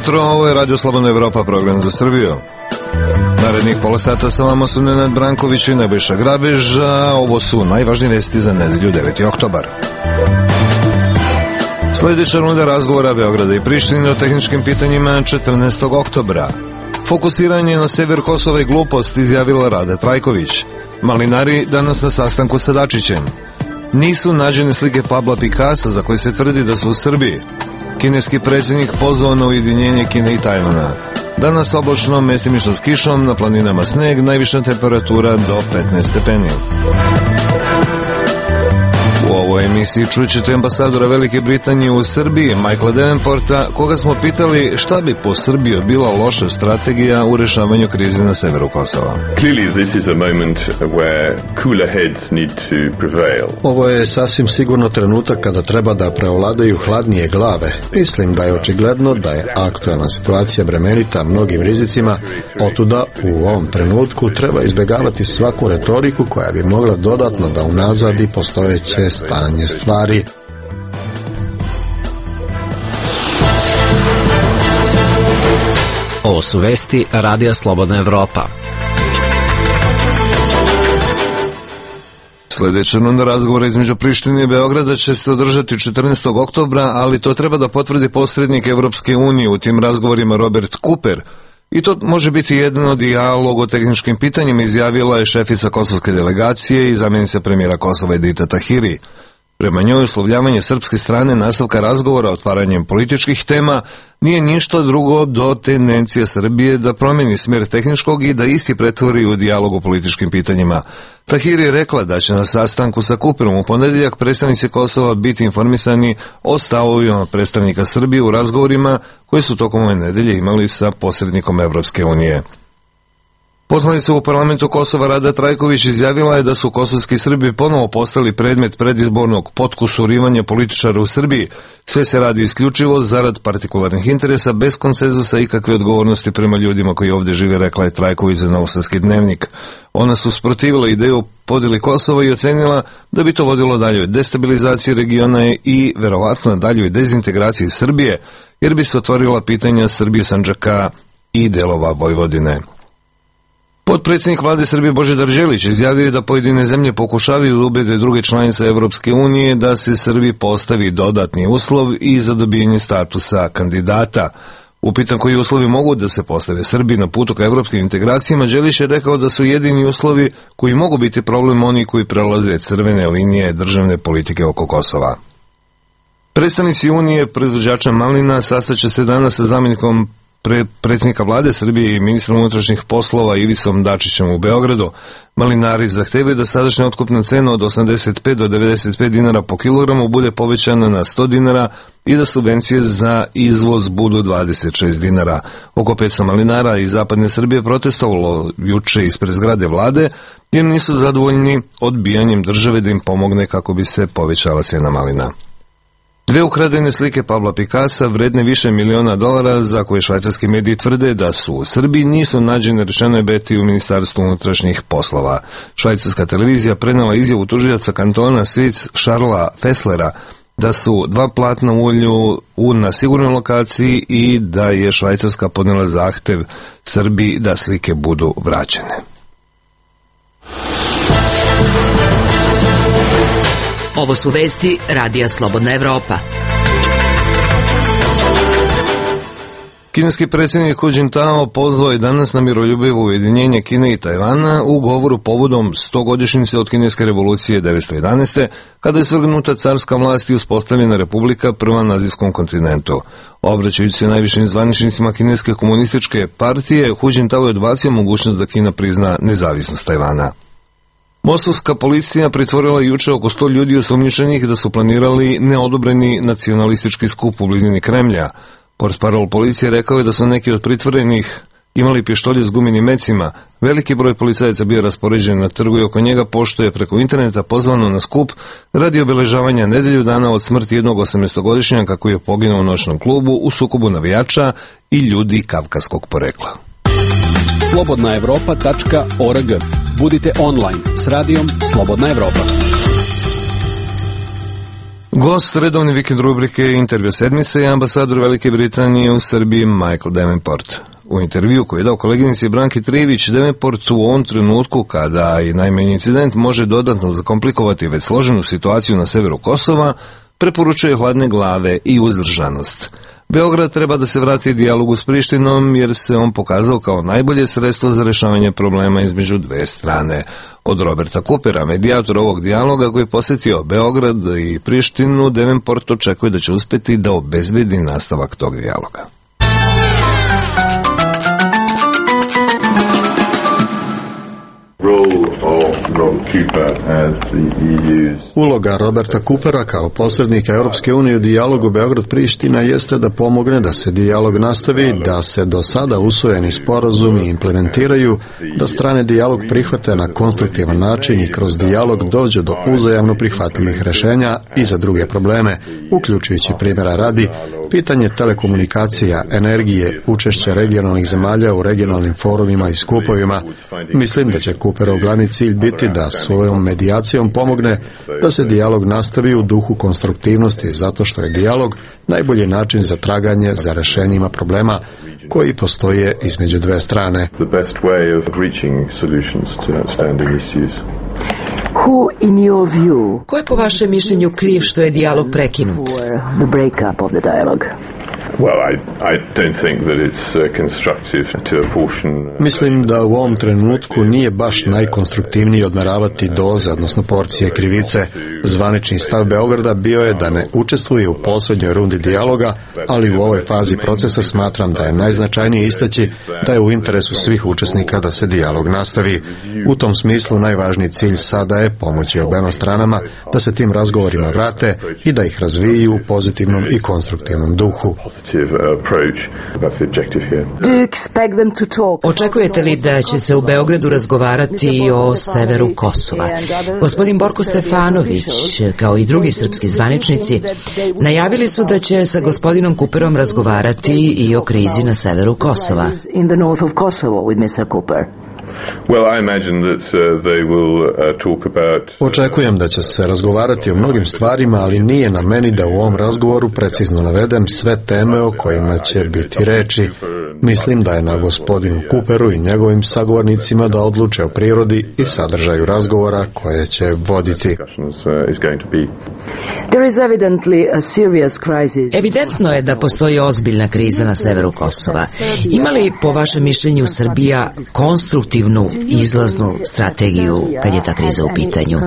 jutro, ovo je Radio Slobodna Evropa, program za Srbiju. Narednih pola sata sa vama su Nenad Branković i Nebojša Grabež, a ovo su najvažnije vesti za nedelju 9. oktobar. Sljedeća runda razgovora Beograda i Prištine o tehničkim pitanjima 14. oktobra. Fokusiranje na sever Kosova i glupost, izjavila Rada Trajković. Malinari danas na sastanku sa Dačićem. Nisu nađene slike Pabla Pikasa za koje se tvrdi da su u Srbiji. Kineski predsjednik pozvao na ujedinjenje Kine i Tajvana. Danas oblačno, mestimično s kišom, na planinama sneg, najviša temperatura do 15 stepeni. U ovoj emisiji čućete ambasadora Velike Britanije u Srbiji, Michaela Davenporta, koga smo pitali šta bi po Srbiji bila loša strategija u rešavanju krize na severu Kosova. Ovo je sasvim sigurno trenutak kada treba da preovladaju hladnije glave. Mislim da je očigledno da je aktualna situacija bremenita mnogim rizicima, otuda u ovom trenutku treba izbjegavati svaku retoriku koja bi mogla dodatno da unazadi postojeće stanje stvari. Ovo su vesti Radija Slobodna Evropa. Sljedeća runda razgovora između Prištine i Beograda će se održati 14. oktobra, ali to treba da potvrdi posrednik Evropske unije u tim razgovorima Robert Cooper. I to može biti jedan od dijaloga o tehničkim pitanjima, izjavila je šefica kosovske delegacije i zamjenica premijera Kosova Edita Tahiri. Prema njoj, uslovljavanje srpske strane nastavka razgovora otvaranjem političkih tema nije ništa drugo do tendencija Srbije da promeni smjer tehničkog i da isti pretvori u dijalog o političkim pitanjima. Tahiri je rekla da će na sastanku sa Cooperom u ponedjeljak predstavnici Kosova biti informisani o stavovima predstavnika Srbije u razgovorima koje su tokom ove nedelje imali sa posrednikom Evropske unije. Poslanica u parlamentu Kosova Rada Trajković izjavila je da su kosovski Srbi ponovo postali predmet predizbornog potkusurivanja političara u Srbiji. Sve se radi isključivo zarad partikularnih interesa, bez konsenzusa i kakve odgovornosti prema ljudima koji ovdje žive, rekla je Trajković za Novosadski dnevnik. Ona su usprotivila ideju o podjeli Kosova i ocenila da bi to vodilo daljoj destabilizaciji regiona i verovatno daljoj dezintegraciji Srbije, jer bi se otvorila pitanja Srbije, Sandžaka i delova Vojvodine. Potpredsjednik vlade Srbije Božidar Đelić izjavio je da pojedine zemlje pokušavaju da ubede druge članice Evropske unije da se Srbiji postavi dodatni uslov i za dobijanje statusa kandidata. Upitan koji uslovi mogu da se postave Srbiji na putu ka evropskim integracijama, Đelić je rekao da su jedini uslovi koji mogu biti problem oni koji prelaze crvene linije državne politike oko Kosova. Predstavnici Unije proizvođača malina sastaće se danas sa zamjenikom predsjednika vlade Srbije i ministrom unutrašnjih poslova Ivisom Dačićem u Beogradu. Malinari zahtevaju da sadašnja otkupna cena od 85 do 95 dinara po kilogramu bude povećana na 100 dinara i da subvencije za izvoz budu 26 dinara. Oko 500 malinara iz zapadne Srbije protestovalo juče ispred zgrade vlade jer nisu zadovoljni odbijanjem države da im pomogne kako bi se povećala cena malina. 2 ukradene slike Pabla Pikasa vredne više $1 miliona za koje švajcarski mediji tvrde da su u Srbiji nisu nađene, rečeno je Beti u Ministarstvu unutrašnjih poslova. Švajcarska televizija prenela izjavu tužioca kantona Svic Šarla Fesslera da su 2 platna ulju na sigurnoj lokaciji i da je Švajcarska podnela zahtev Srbiji da slike budu vraćene. Ovo su vesti Radija Slobodna Evropa. Kineski predsjednik Hu Jintao pozvao je danas na miroljubivo ujedinjenje Kine i Tajvana u govoru povodom 100-godišnjice od Kineske revolucije 1911. kada je svrgnuta carska vlast i uspostavljena republika prva na azijskom kontinentu. Obraćajući se najvišim zvaničnicima Kineske komunističke partije, Hu Jintao je odbacio mogućnost da Kina prizna nezavisnost Tajvana. Mostovska policija pritvorila juče oko 100 ljudi osumnjičenih da su planirali neodobreni nacionalistički skup u blizini Kremlja. Portparol policije rekao je da su neki od pritvorenih imali pištolje s gumenim mecima. Veliki broj policajaca bio raspoređen na trgu i oko njega, pošto je preko interneta pozvano na skup radi obeležavanja nedelju dana od smrti jednog 18-godišnjaka koji je poginuo u noćnom klubu u sukobu navijača i ljudi kavkaskog porekla. slobodnaevropa.org. Budite online s radijom Slobodna Evropa. Gost redovne vikend rubrike Intervju sedmice je ambasador Velike Britanije u Srbiji Michael Davenport. U intervju koji je dao koleginici Branki Trivić, Davenport u ovom trenutku, kada i najmanji incident može dodatno zakomplikovati već složenu situaciju na severu Kosova, preporučuje hladne glave i uzdržanost. Beograd treba da se vrati dijalogu s Prištinom jer se on pokazao kao najbolje sredstvo za rešavanje problema između dve strane. Od Roberta Coopera, medijatora ovog dijaloga koji je posjetio Beograd i Prištinu, Davenport očekuje da će uspeti da obezbedi nastavak tog dijaloga. Uloga Roberta Coopera kao posrednika Europske unije u dijalogu Beograd-Priština jeste da pomogne da se dijalog nastavi, da se do sada usvojeni sporazumi implementiraju, da strane dijalog prihvate na konstruktivan način i kroz dijalog dođe do uzajamno prihvatljivih rešenja i za druge probleme, uključujući primjera radi, pitanje telekomunikacija, energije, učešće regionalnih zemalja u regionalnim forumima i skupovima. Mislim da će Cooperov glavni cilj biti da svojom medijacijom pomogne da se dijalog nastavi u duhu konstruktivnosti, zato što je dijalog najbolji način za traganje za rešenjima problema koji postoje između dve strane. Ko je po vašem mišljenju kriv što je dijalog prekinut? Mislim da u ovom trenutku nije baš najkonstruktivnije odmeravati doze, odnosno porcije krivice. Zvanični stav Beograda bio je da ne učestvuje u posljednjoj rundi dijaloga, ali u ovoj fazi procesa smatram da je najznačajnije istaći da je u interesu svih učesnika da se dijalog nastavi. U tom smislu najvažniji cilj sada je pomoći obema stranama da se tim razgovorima vrate i da ih razviju u pozitivnom i konstruktivnom duhu. Očekujete li da će se u Beogradu razgovarati i o severu Kosova? Gospodin Borko Stefanović, kao i drugi srpski zvaničnici, najavili su da će sa gospodinom Cooperom razgovarati i o krizi na severu Kosova. Očekujem da će se razgovarati o mnogim stvarima, ali nije na meni da u ovom razgovoru precizno navedem sve teme o kojima će biti reči. Mislim da je na gospodinu Cooperu i njegovim sagovornicima da odluče o prirodi i sadržaju razgovora koje će voditi. Evidentno je da postoji ozbiljna kriza na severu Kosova. Ima li po vašem mišljenju Srbija konstruktivnu izlaznu strategiju kad je ta kriza u pitanju?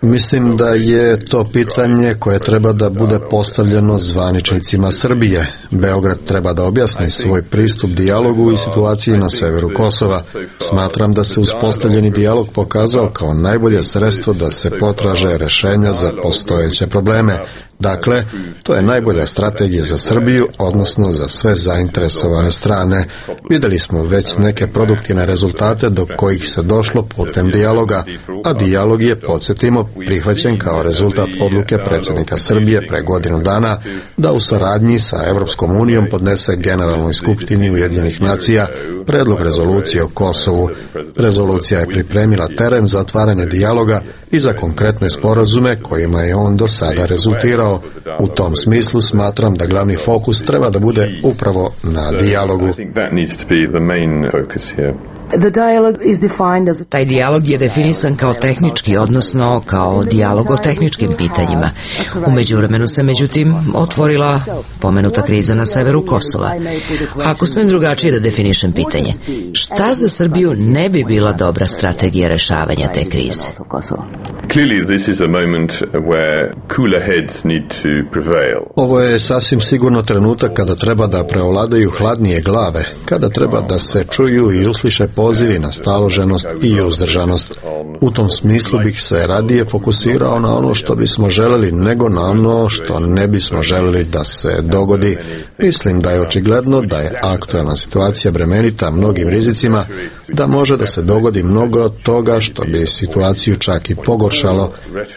Mislim da je to pitanje koje treba da bude postavljeno zvaničnicima Srbije. Beograd treba da objasni svoj pristup dijalogu i situaciji na severu Kosova. Smatram da se uspostavljeni dijalog pokazao kao najbolje sredstvo da se potraže rešenja za postojeće probleme. Dakle, to je najbolja strategija za Srbiju, odnosno za sve zainteresovane strane. Videli smo već neke produktivne rezultate do kojih se došlo putem dijaloga, a dijalog je, podsjetimo, prihvaćen kao rezultat odluke predsjednika Srbije pre godinu dana da u saradnji sa Europskom unijom podnese Generalnoj skupštini Ujedinjenih nacija predlog rezolucije o Kosovu. Rezolucija je pripremila teren za otvaranje dijaloga i za konkretne sporazume kojima je on do sada rezultirao. U tom smislu smatram da glavni fokus treba da bude upravo na dijalogu. Taj dijalog je definisan kao tehnički, odnosno kao dijalog o tehničkim pitanjima. U međuvremenu se međutim otvorila pomenuta kriza na severu Kosova. Ako smem drugačije da definišem pitanje, šta za Srbiju ne bi bila dobra strategija rešavanja te krize? Ovo je sasvim sigurno trenutak kada treba da preovladaju hladnije glave, kada treba da se čuju i usliše pozivi na staloženost i uzdržanost. U tom smislu bih se radije fokusirao na ono što bismo želeli nego na ono što ne bismo želeli da se dogodi. Mislim da je očigledno da je aktuelna situacija bremenita mnogim rizicima, da može da se dogodi mnogo od toga što bi situaciju čak i pogoršalo.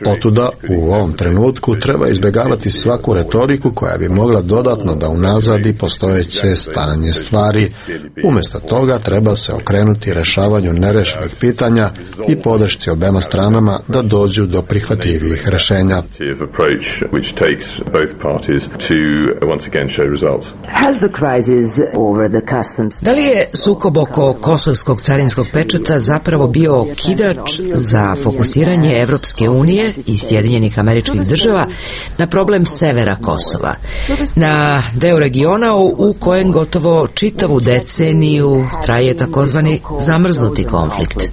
Otuda u ovom trenutku treba izbjegavati svaku retoriku koja bi mogla dodatno da unazadi postojeće stanje stvari. Umjesto toga treba se okrenuti rješavanju nerešenih pitanja i podršci obema stranama da dođu do prihvatljivih rješenja. Da li je sukob oko kosovskog carinskog pečata zapravo bio okidač za fokusiranje Evropske unije i Sjedinjenih Američkih Država na problem severa Kosova, na deo regiona u kojem gotovo čitavu deceniju traje takozvani zamrznuti konflikt?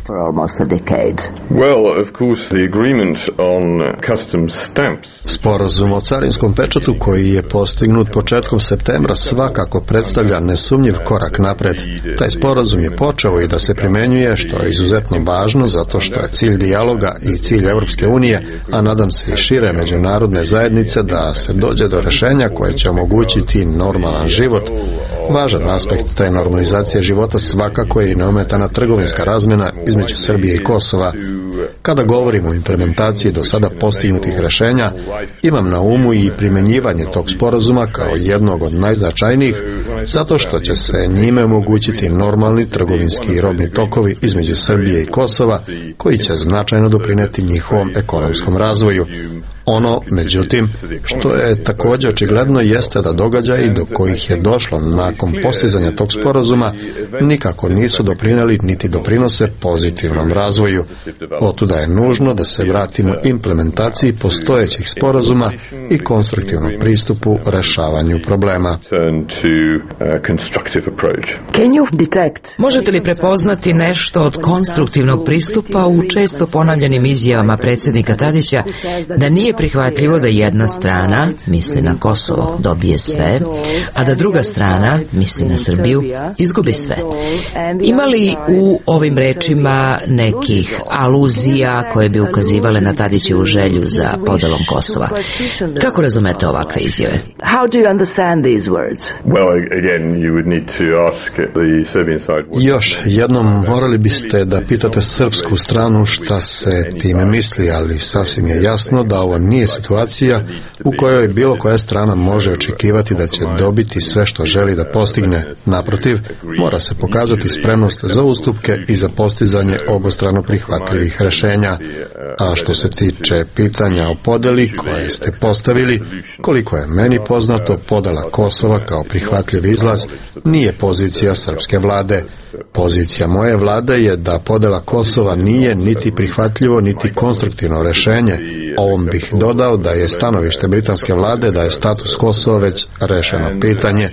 Sporazum o carinskom pečatu koji je postignut početkom septembra svakako predstavlja nesumnjiv korak napred. Taj sporazum je počeo i da se primenjuje, što je izuzetno važno zato što je cilj dijaloga i cilj Evropske unije, a nadam se i šire međunarodne zajednice, da se dođe do rješenja koje će omogućiti normalan život. Važan aspekt te normalizacije života svakako je i neometana trgovinska razmjena između Srbije i Kosova. Kada govorimo o implementaciji do sada postignutih rješenja, imam na umu i primjenjivanje tog sporazuma kao jednog od najznačajnijih, zato što će se njime omogućiti normalni trgovinski i robni tokovi između Srbije i Kosova, koji će značajno doprinijeti njihovom ekonomskom razvoju. Ono, međutim, što je također očigledno jeste da događaji do kojih je došlo nakon postizanja tog sporazuma nikako nisu doprinijeli niti doprinose pozitivnom razvoju. Otuda je nužno da se vratimo implementaciji postojećih sporazuma i konstruktivnom pristupu rješavanju problema. Možete li prepoznati nešto od konstruktivnog pristupa u često ponavljanim izjavama predsjednika Tadića da nije prihvatljivo da jedna strana, misli na Kosovo, dobije sve, a da druga strana, misli na Srbiju, izgubi sve? Ima li u ovim rečima nekih aluzija koje bi ukazivale na Tadićevu želju za podelom Kosova? Kako razumete ovakve izjave? Još jednom morali biste da pitate srpsku stranu šta se time misli, ali sasvim je jasno da ovo nije situacija u kojoj bilo koja strana može očekivati da će dobiti sve što želi da postigne. Naprotiv, mora se pokazati spremnost za ustupke i za postizanje obostrano prihvatljivih rješenja. A što se tiče pitanja o podeli koje ste postavili, koliko je meni poznato, podela Kosova kao prihvatljiv izlaz nije pozicija srpske vlade. Pozicija moje vlade je da podela Kosova nije niti prihvatljivo, niti konstruktivno rješenje. Ovom bih dodao da je stanovište britanske vlade da je status Kosova već rešeno pitanje.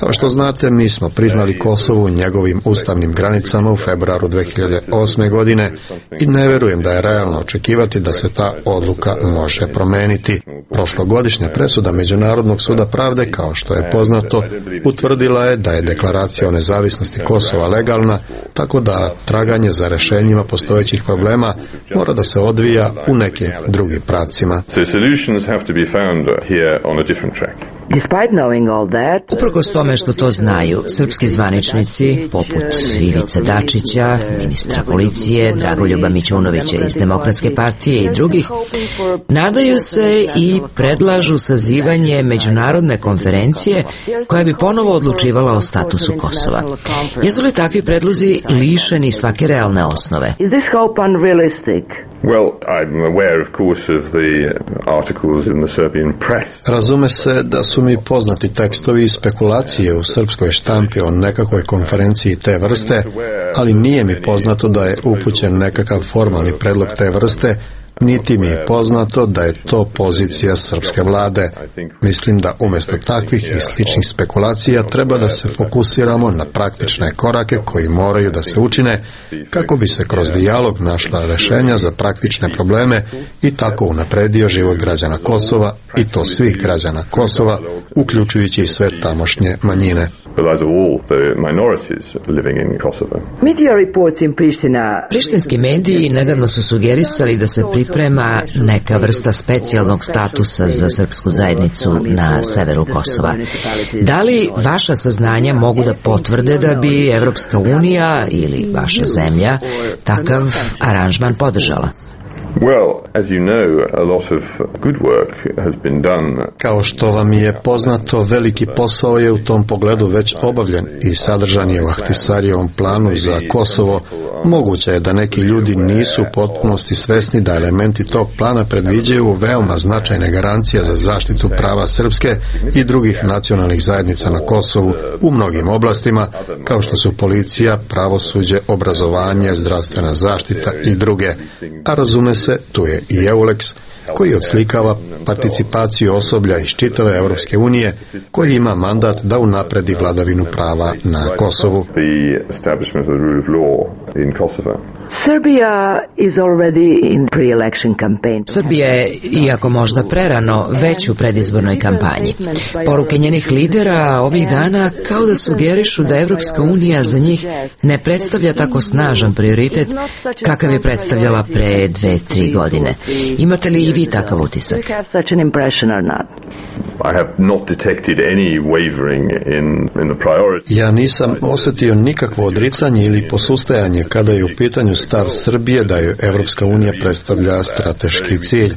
Kao što znate, mi smo priznali Kosovo u njegovim ustavnim granicama u februaru 2008. godine i ne vjerujem da je realno očekivati da se ta odluka može promeniti. Prošlogodišnja presuda Međunarodnog suda pravde, kao što je poznato, utvrdila je da je deklaracija o nezavisnosti Kosova legalna, tako da traganje za rješenjima postojećih problema mora da se odvija u nekim drugim pravcima. Uprkos tome što to znaju, srpski zvaničnici, poput Ivice Dačića, ministra policije, Dragoljuba Mićunovića iz Demokratske partije i drugih, nadaju se i predlažu sazivanje međunarodne konferencije koja bi ponovo odlučivala o statusu Kosova. Jesu li takvi predlozi lišeni svake realne osnove? Razume se da su mi poznati tekstovi i spekulacije u srpskoj štampi o nekakvoj konferenciji te vrste, ali nije mi poznato da je upućen nekakav formalni predlog te vrste, niti mi je poznato da je to pozicija srpske vlade. Mislim da umjesto takvih i sličnih spekulacija treba da se fokusiramo na praktične korake koji moraju da se učine kako bi se kroz dijalog našla rješenja za praktične probleme i tako unapredio život građana Kosova, i to svih građana Kosova, uključujući i sve tamošnje manjine. Prištinski mediji nedavno su sugerisali da se priprema neka vrsta specijalnog statusa za srpsku zajednicu na severu Kosova. Da li vaša saznanja mogu da potvrde da bi Evropska unija ili vaša zemlja takav aranžman podržala? Kao što vam je poznato, veliki posao je u tom pogledu već obavljen i sadržan je u Ahtisarijevom planu za Kosovo. Moguće je da neki ljudi nisu u potpunosti svesni da elementi tog plana predviđaju veoma značajne garancije za zaštitu prava srpske i drugih nacionalnih zajednica na Kosovu u mnogim oblastima, kao što su policija, pravosuđe, obrazovanje, zdravstvena zaštita i druge. A razume se, tu je i EULEX, koji odslikava participaciju osoblja iz čitave Evropske unije, koji ima mandat da unapredi vladavinu prava na Kosovu. Srbija je, iako možda prerano, već u predizbornoj kampanji. Poruke njenih lidera ovih dana kao da sugerišu da Evropska unija za njih ne predstavlja tako snažan prioritet kakav je predstavljala pre 2-3 godine. Imate li i vi takav utisak? Ja nisam osjetio nikakvo odricanje ili posustajanje kada je u pitanju stav Srbije da joj Evropska unija predstavlja strateški cilj.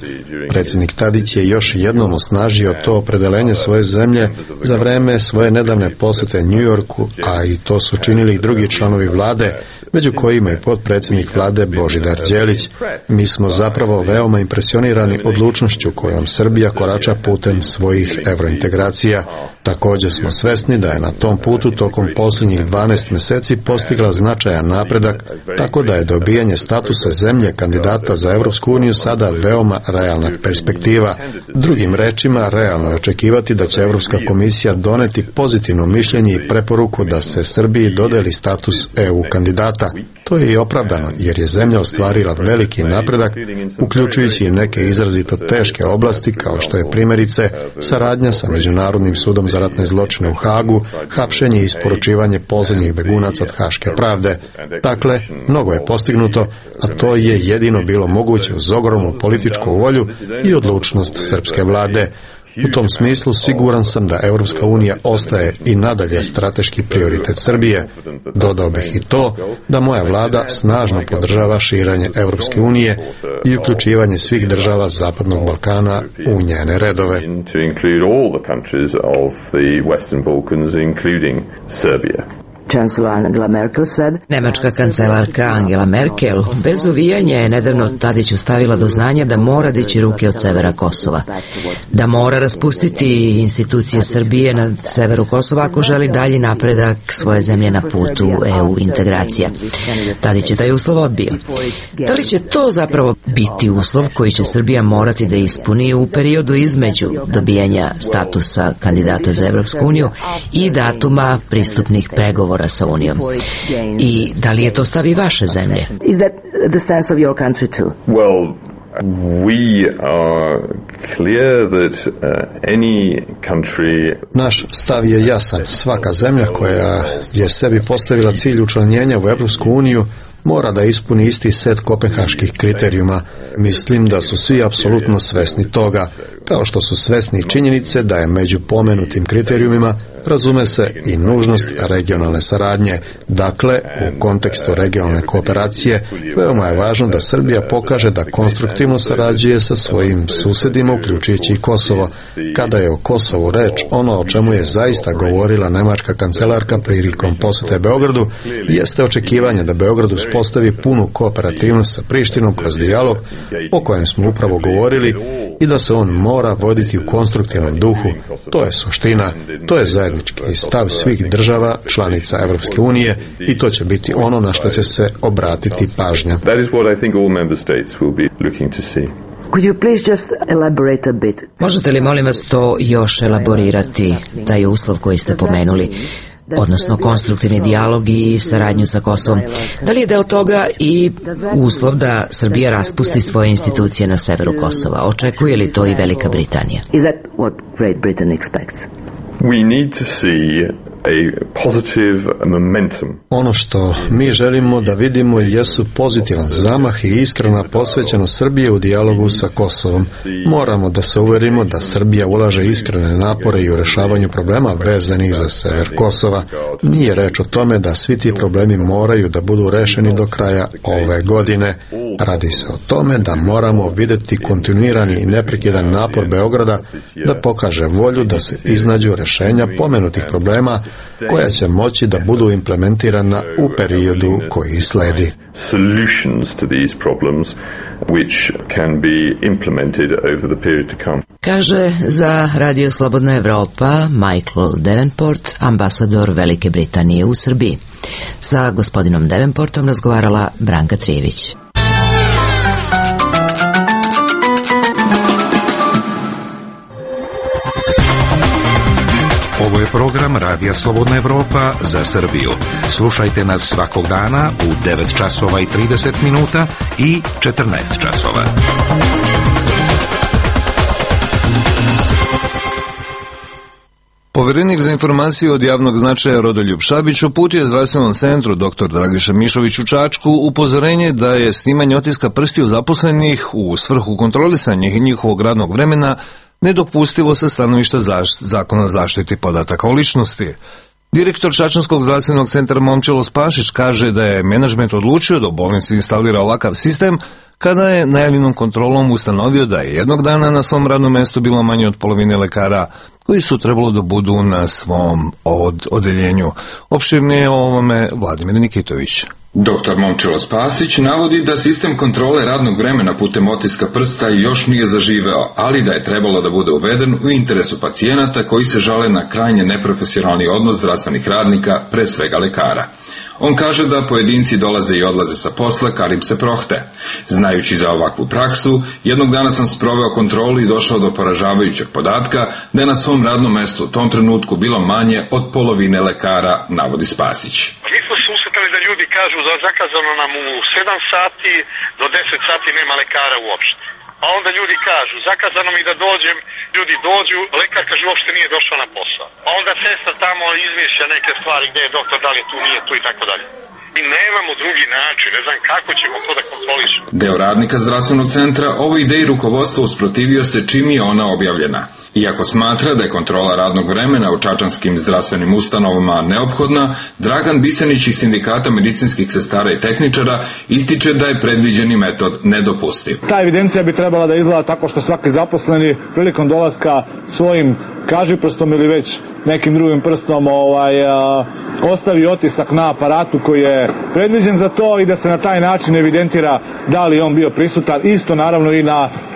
Predsjednik Tadić je još jednom osnažio to opredelenje svoje zemlje za vreme svoje nedavne posjete New Yorku, a i to su činili i drugi članovi vlade, među kojima i potpredsjednik vlade Božidar Đelić. Mi smo zapravo veoma impresionirani odlučnošću kojom Srbija korača putem svojih evrointegracija. Također smo svesni da je na tom putu tokom posljednjih 12 mjeseci postigla značajan napredak, tako da je dobijanje statusa zemlje kandidata za Evropsku uniju sada veoma realna perspektiva. Drugim rečima, realno je očekivati da će Evropska komisija doneti pozitivno mišljenje i preporuku da se Srbiji dodeli status EU kandidata. To je i opravdano, jer je zemlja ostvarila veliki napredak, uključujući i neke izrazito teške oblasti, kao što je primjerice saradnja sa Međunarodnim sudom za ratne zločine u Hagu, hapšenje i isporučivanje posljednjih begunaca od Haške pravde. Dakle, mnogo je postignuto, a to je jedino bilo moguće uz ogromnu političku volju i odlučnost srpske vlade. U tom smislu siguran sam da Europska unija ostaje i nadalje strateški prioritet Srbije. Dodao bih i to da moja vlada snažno podržava širenje Europske unije i uključivanje svih država Zapadnog Balkana u njene redove. Nemačka kancelarka Angela Merkel bez uvijanja je nedavno Tadiću stavila do znanja da mora dići ruke od severa Kosova, da mora raspustiti institucije Srbije na severu Kosova ako želi dalji napredak svoje zemlje na putu EU integracija. Tadić je taj uslov odbio. Da li će to zapravo biti uslov koji će Srbija morati da ispuni u periodu između dobijanja statusa kandidata za Evropsku uniju i datuma pristupnih pregovora sa Unijom? I da li je to stav i vaše zemlje? Naš stav je jasan. Svaka zemlja koja je sebi postavila cilj učlanjenja u Evropsku uniju mora da ispuni isti set kopenhaških kriterijuma. Mislim da su svi apsolutno svesni toga, kao što su svesni činjenice da je među pomenutim kriterijumima, razume se, i nužnost regionalne saradnje. Dakle, u kontekstu regionalne kooperacije veoma je važno da Srbija pokaže da konstruktivno sarađuje sa svojim susjedima, uključujući i Kosovo. Kada je o Kosovu reč, ono o čemu je zaista govorila nemačka kancelarka prilikom posjete Beogradu, jeste očekivanje da Beograd uspostavi punu kooperativnost sa Prištinom kroz dijalog o kojem smo upravo govorili i da se on mora voditi u konstruktivnom duhu. To je suština, to je zajednički stav svih država članica Evropske unije i to će biti ono na što će se obratiti pažnja. Možete li, molim vas, to još elaborirati, taj uslov koji ste pomenuli, odnosno konstruktivni dijalog i saradnju sa Kosovom? Da li je deo toga i uslov da Srbija raspusti svoje institucije na severu Kosova? Očekuje li to i Velika Britanija? Ono što mi želimo da vidimo jesu pozitivan zamah i iskrena posvećenost Srbije u dijalogu sa Kosovom. Moramo da se uverimo da Srbija ulaže iskrene napore i u rešavanju problema vezanih za sever Kosova. Nije reč o tome da svi ti problemi moraju da budu rešeni do kraja ove godine. Radi se o tome da moramo videti kontinuirani i neprekidan napor Beograda da pokaže volju da se iznađu rešenja pomenutih problema koja će moći da budu implementirana u periodu koji sledi. Kaže za Radio Slobodna Evropa Michael Davenport, ambasador Velike Britanije u Srbiji. Sa gospodinom Davenportom razgovarala Branka Trijević. Ovo je program Radija Slobodna Evropa za Srbiju. Slušajte nas svakog dana u 9 časova i 30 minuta i 14 časova. Poverenik za informacije od javnog značaja Rodoljub Šabić uputio je zdravstvenom centru dr. Dragiša Mišović u Čačku upozorenje da je snimanje otiska prstiju zaposlenih u svrhu kontrolisanja njihovog radnog vremena nedopustivo sa stanovišta zakona zaštiti podataka o ličnosti. Direktor Čačanskog zdravstvenog centra Momčilo Spašić kaže da je menadžment odlučio da u bolnici instalira ovakav sistem kada je najavljenom kontrolom ustanovio da je jednog dana na svom radnom mestu bilo manje od polovine lekara koji su trebalo da budu na svom odeljenju. Opširnije o ovome Vladimir Nikitović. Dr. Momčilo Spasić navodi da sistem kontrole radnog vremena putem otiska prsta još nije zaživeo, ali da je trebalo da bude uveden u interesu pacijenata koji se žale na krajnje neprofesionalni odnos zdravstvenih radnika, pre svega lekara. On kaže da pojedinci dolaze i odlaze sa posla kad im se prohte. Znajući za ovakvu praksu, jednog dana sam sproveo kontrolu i došao do poražavajućeg podatka da je na svom radnom mestu u tom trenutku bilo manje od polovine lekara, navodi Spasić. Da ljudi kažu da zakazano nam u 7 sati, do 10 sati nema lekara uopšte. A onda ljudi kažu, zakazano mi da dođem, ljudi dođu, lekar kaže uopšte nije došao na posao. A onda sestra tamo izmišlja neke stvari gdje je doktor, da li je tu, nije tu i tako dalje. Mi nemamo drugi način, ne znam kako ćemo to da kontrolišemo. Deo radnika zdravstvenog centra ovoj ideji rukovodstva usprotivio se čim je ona objavljena. Iako smatra da je kontrola radnog vremena u čačanskim zdravstvenim ustanovama neophodna, Dragan Bisenić iz Sindikata medicinskih sestara i tehničara ističe da je predviđeni metod nedopustiv. Ta evidencija bi trebala da izgleda tako što svaki zaposleni prilikom dolaska svojim kažiprstom ili već nekim drugim prstom ostavi otisak na aparatu koji je predviđen za to i da se na taj način evidentira da li on bio prisutan, isto naravno i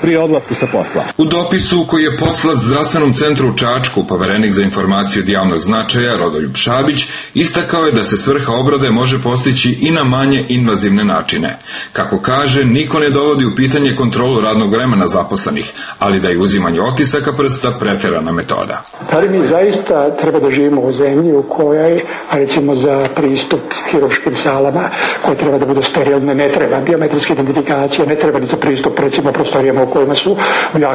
pri odlasku sa posla. U dopisu koji je poslat zdravstvenom centru u Čačku, poverenik za informacije od javnog značaja Rodoljub Šabić istakao je da se svrha obrade može postići i na manje invazivne načine. Kako kaže, niko ne dovodi u pitanje kontrolu radnog vremena zaposlenih, ali da je uzimanje otisaka prsta preterana metoda. Ali mi zaista treba da živimo u zemlji u kojoj, recimo za pristup hirurškim salama, koje treba da budu sterilne, ne treba biometrijske identifikacije, ne treba ni za pristup recimo prostorijama u kojima su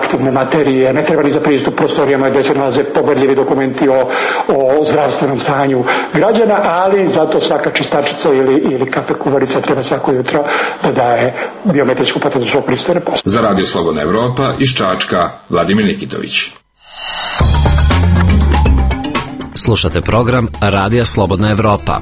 aktivne materije, ne treba ni za pristup prostorijama gdje se nalaze pogledljivi dokumenti o zdravstvenom stanju građana, ali zato svaka čistačica ili kafe kuvarica treba svako jutro da daje biometrijsku potvrdu svog pristojne posla. Za Radio Slobodna Evropa iz Čačka, Vladimir Nikitović. Slušate program Radija Slobodna Evropa.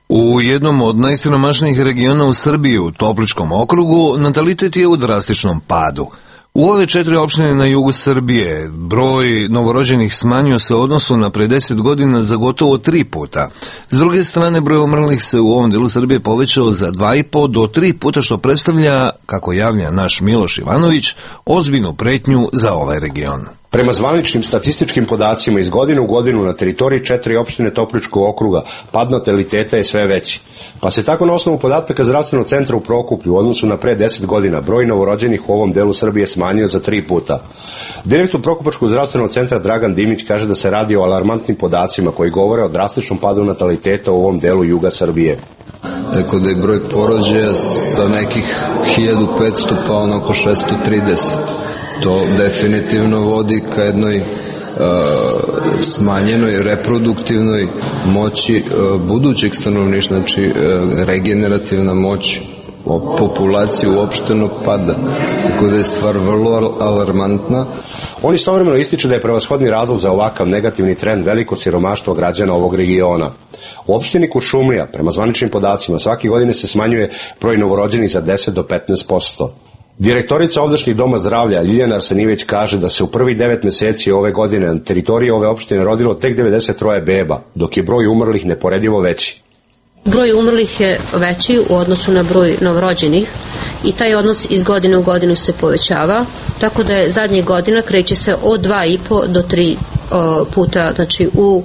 U jednom od najsiromašnijih regiona u Srbiji, u Topličkom okrugu, natalitet je u drastičnom padu. U ove 4 opštine na jugu Srbije broj novorođenih smanjio se u odnosu na pre 10 godina za gotovo 3 puta. S druge strane, broj umrlih se u ovom delu Srbije povećao za 2,5 do 3 puta, što predstavlja, kako javlja naš Miloš Ivanović, ozbiljnu pretnju za ovaj region. Prema zvaničnim statističkim podacima iz godine u godinu na teritoriji 4 opštine Topličkog okruga pad nataliteta je sve veći. Pa se tako na osnovu podataka zdravstvenog centra u Prokuplju u odnosu na pre 10 godina broj novorođenih u ovom delu Srbije smanjio za 3 puta. Direktor Prokupačkog zdravstvenog centra Dragan Dimić kaže da se radi o alarmantnim podacima koji govore o drastičnom padu nataliteta u ovom delu juga Srbije. Tako da je broj porođaja sa nekih 1500 pa oko 630. To definitivno vodi ka jednoj smanjenoj reproduktivnoj moći budućeg stanovništva, znači regenerativna moć populacije uopštenog pada, tako da je stvar vrlo alarmantna. On istovremeno ističe da je prevashodni razlog za ovakav negativni trend veliko siromaštvo građana ovog regiona. U opštini Kuršumlija, prema zvaničnim podacima, svake godine se smanjuje broj novorođenih za 10 do 15%. Direktorica ovdašnjih doma zdravlja Ljiljana Arsenijević kaže da se u prvih 9 meseci ove godine na teritoriji ove opštine rodilo tek 93 beba, dok je broj umrlih neporedivo veći. Broj umrlih je veći u odnosu na broj novorođenih i taj odnos iz godine u godinu se povećava, tako da je zadnjih godina kreće se od 2,5 do 3 puta, znači u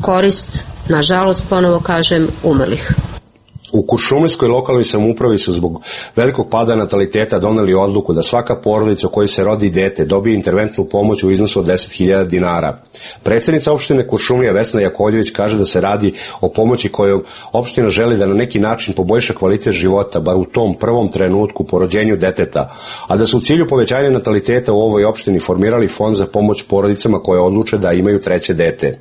korist, nažalost, ponovo kažem, umrlih. U Kuršumlijskoj lokalnoj samoupravi su zbog velikog pada nataliteta doneli odluku da svaka porodica u kojoj se rodi dete dobije interventnu pomoć u iznosu od 10.000 dinara. Predsjednica opštine Kuršumlija Vesna Jakovljević kaže da se radi o pomoći koju opština želi da na neki način poboljša kvalitet života, bar u tom prvom trenutku po rođenju deteta, a da su u cilju povećanja nataliteta u ovoj opštini formirali fond za pomoć porodicama koje odluče da imaju treće dete.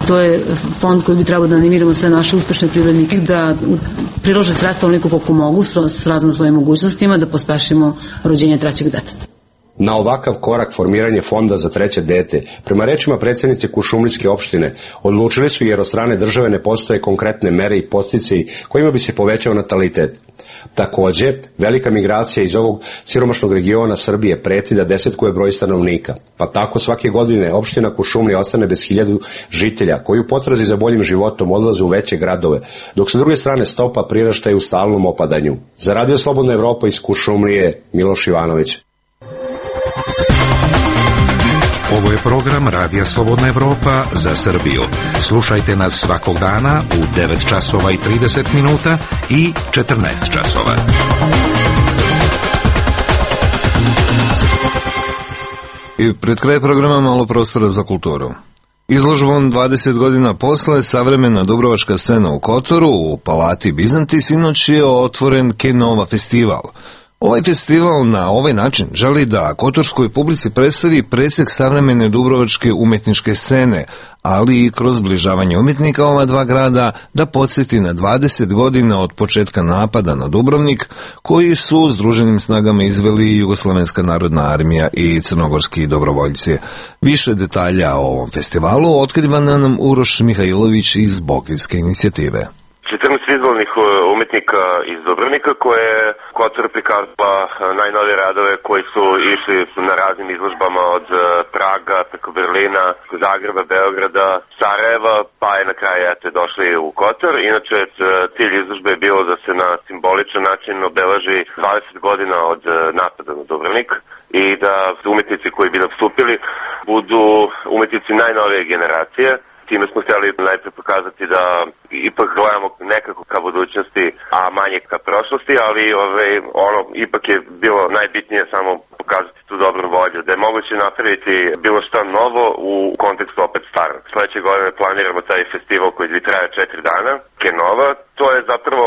To je fond koji bi trebao da animiramo sve naše uspešne privrednike da prilože sredstva onoliko koliko mogu s razno svojim mogućnostima da pospešimo rođenje trećeg deteta. Na ovakav korak formiranje fonda za treće dete, prema rečima predsjednice Kuršumlijske opštine, odlučili su jer od strane države ne postoje konkretne mere i podsticaji kojima bi se povećao natalitet. Takođe, velika migracija iz ovog siromašnog regiona Srbije preti da desetkuje broj stanovnika, pa tako svake godine opština Kuršumlija ostane bez 1000 žitelja koji u potrazi za boljim životom odlaze u veće gradove, dok sa druge strane stopa priraštaja u stalnom opadanju. Za Radio Slobodna Evropa iz Kuršumlije, Miloš Ivanović. Ovo je program Radija Slobodna Evropa za Srbiju. Slušajte nas svakog dana u 9 časova i 30 minuta i 14 časova. I pred kraj programa malo prostora za kulturu. Izložbom 20 godina posle savremena dubrovačka scena u Kotoru u Palati Bizanti sinoć je otvoren Kenova festival. Ovaj festival na ovaj način želi da kotorskoj publici predstavi presek savremene dubrovačke umetničke scene, ali i kroz zbližavanje umjetnika ova dva grada da podsjeti na 20 godina od početka napada na Dubrovnik, koji su združenim snagama izveli Jugoslovenska narodna armija i crnogorski dobrovoljci. Više detalja o ovom festivalu otkriva nam Uroš Mihajlović iz Bokeljske inicijative. 14 vizualnih umetnika iz Dubrovnika koje je Kotor prikazala najnovije radove koji su išli na raznim izložbama od Praga preko Berlina, Zagreba, Beograda, Sarajeva, pa je na kraju došli u Kotor. Inače, cilj izložbe je bilo da se na simboličan način obeleži 20 godina od napada na Dubrovnik i da umetnici koji bi nastupili budu umetnici najnovije generacije. Time smo htjeli najprije pokazati da ipak gledamo nekako ka budućnosti, a manje ka prošlosti, ali ipak je bilo najbitnije samo pokazati tu dobru volju, da je moguće napraviti bilo šta novo u kontekstu opet starog. Sledeće godine planiramo taj festival koji bi traje 4 dana, Kenova. To je zapravo,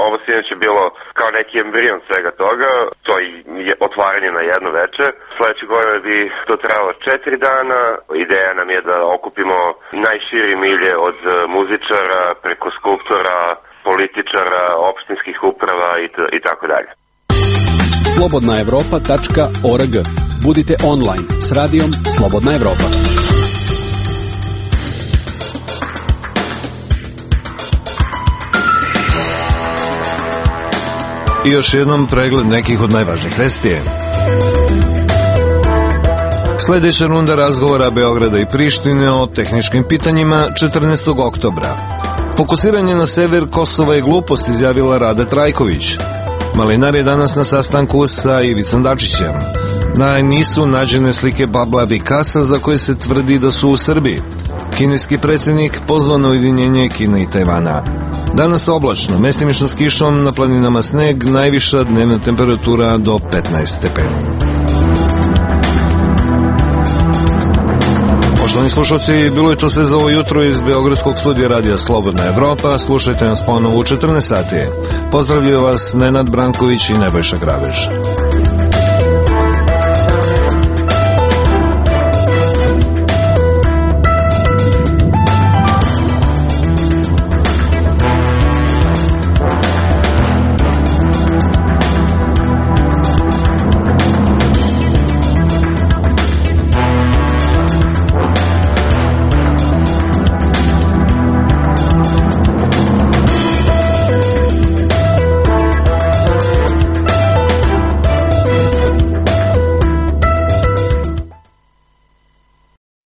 ovo sinoć je bilo kao neki embrion svega toga, to je otvaranje na jedno veče. Sledeće godine bi to trajalo 4 dana, ideja nam je da okupimo najširi milje od muzičara, preko skulptora, političara, opštinskih uprava i tako dalje. slobodnaevropa.org. Budite online s radijom Slobodna Evropa. I još jednom pregled nekih od najvažnijih vesti. Sljedeća runda razgovora Beograda i Prištine o tehničkim pitanjima 14. oktobra. Fokusiranje na sever Kosova je glupost, izjavila Rada Trajković. Malinar je danas na sastanku sa Ivicom Dačićem. Nisu nađene slike Pabla Pikasa za koje se tvrdi da su u Srbiji. Kineski predsjednik pozvao na ujedinjenje Kine i Tajvana. Danas oblačno, mestimično s kišom, na planinama sneg, najviša dnevna temperatura do 15 stepeni. Poštovani slušalci, bilo je to sve za ovo jutro iz Beogradskog studija Radija Slobodna Evropa. Slušajte nas ponovo u 14 sati. Pozdravljaju vas Nenad Branković i Nebojša Grabež.